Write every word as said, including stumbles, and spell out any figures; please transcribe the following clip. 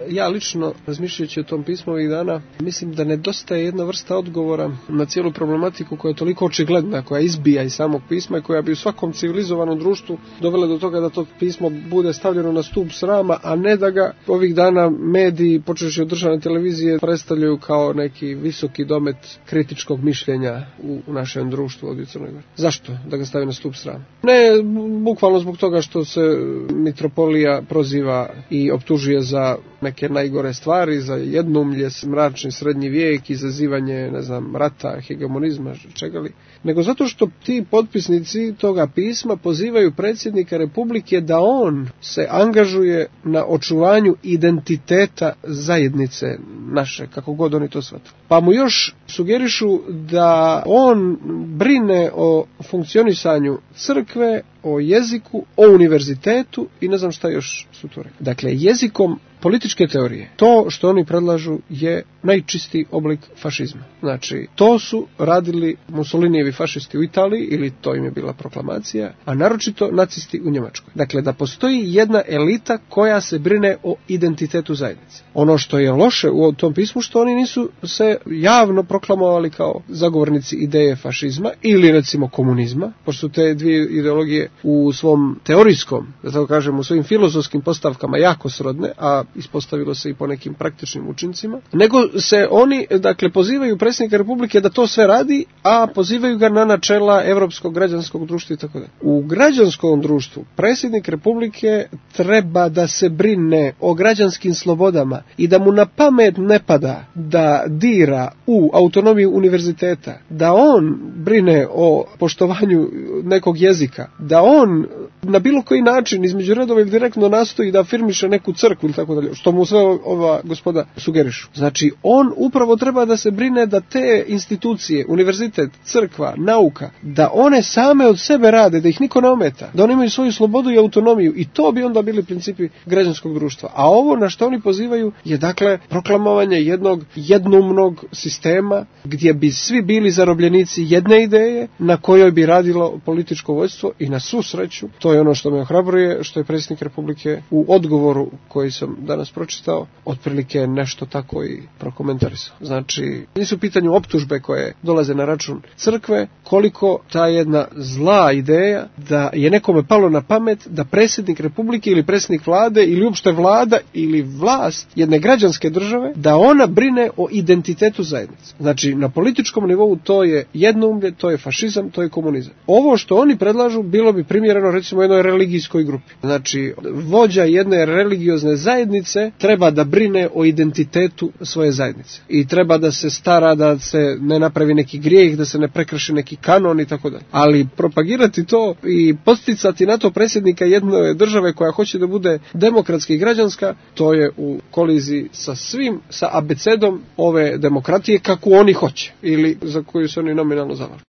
Ja lično, razmišljajući o tom pismu ovih dana, mislim da nedostaje jedna vrsta odgovora na cijelu problematiku koja je toliko očigledna, koja izbija iz samog pisma i koja bi u svakom civilizovanom društvu dovela do toga da to pismo bude stavljeno na stup srama, a ne da ga ovih dana mediji, počevši od državne televizije, predstavljaju kao neki visoki domet kritičkog mišljenja u, u našem društvu ovdje u Crnoj Gori. Zašto da ga stavi na stup srama? Ne bukvalno zbog toga što se mitropolija proziva i optužuje za neke najgore stvari, za jednoumlje, mračni srednji vijek, izazivanje, ne znam, rata, hegemonizma, čega li, nego zato što ti potpisnici toga pisma pozivaju predsjednika Republike da on se angažuje na očuvanju identiteta zajednice naše, kako god oni to shvatili. Pa mu još sugerišu da on brine o funkcionisanju crkve, o jeziku, o univerzitetu i ne znam šta još su to rekli. Dakle, jezikom političke teorije, to što oni predlažu je najčistiji oblik fašizma. Znači, to su radili Mussolinijevi fašisti u Italiji, ili to im je bila proklamacija, a naročito nacisti u Njemačkoj. Dakle, da postoji jedna elita koja se brine o identitetu zajednice. Ono što je loše u tom pismu, što oni nisu se javno proklamovali kao zagovornici ideje fašizma ili recimo komunizma, pošto su te dvije ideologije u svom teorijskom, da tako kažem, u svojim filozofskim postavkama jako srodne, a ispostavilo se i po nekim praktičnim učincima, nego se oni, dakle, pozivaju predsjednika Republike da to sve radi, a pozivaju ga na načela Europskog građanskog društva i tako dalje. U građanskom društvu predsjednik Republike treba da se brine o građanskim slobodama i da mu na pamet ne pada da dira u autonomiju univerziteta, da on brine o poštovanju nekog jezika, da on na bilo koji način između redova ili direktno nastoji da afirmiše neku crkvu ili tako dalje, što mu sve ova gospoda sugerišu. Znači, on upravo treba da se brine da te institucije, univerzitet, crkva, nauka, da one same od sebe rade, da ih niko ne ometa, da oni imaju svoju slobodu i autonomiju, i to bi onda bili principi građanskog društva. A ovo na što oni pozivaju je, dakle, proklamovanje jednog jednoumnog sistema gdje bi svi bili zarobljenici jedne ideje na kojoj bi radilo političko vođstvo, i na svu sreću, to je ono što me ohrabruje, što je predsjednik Republike u odgovoru koji sam danas pročitao otprilike nešto tako i prokomentarisao. Znači, nisu u pitanju optužbe koje dolaze na račun crkve, koliko ta jedna zla ideja da je nekome palo na pamet da predsjednik Republike ili predsjednik vlade ili uopšte vlada ili vlast jedne građanske države, da ona brine o identitetu zajednice. Znači, na političkom nivou to je jednoumlje, to je fašizam, to je komunizam. Ovo što oni predlažu bilo bi primjereno recimo jednoj religijskoj grupi. Znači, vođa jedne religiozne zajednice treba da brine o identitetu svoje zajednice i treba da se stara da se ne napravi neki grijeh, da se ne prekrši neki kanon i tako dalje. Ali propagirati to i posticati na to predsjednika jedne države koja hoće da bude demokratska i građanska, to je u koliziji sa svim, sa abecedom ove demokratije kako oni hoće ili za koju se oni nominalno zalažu.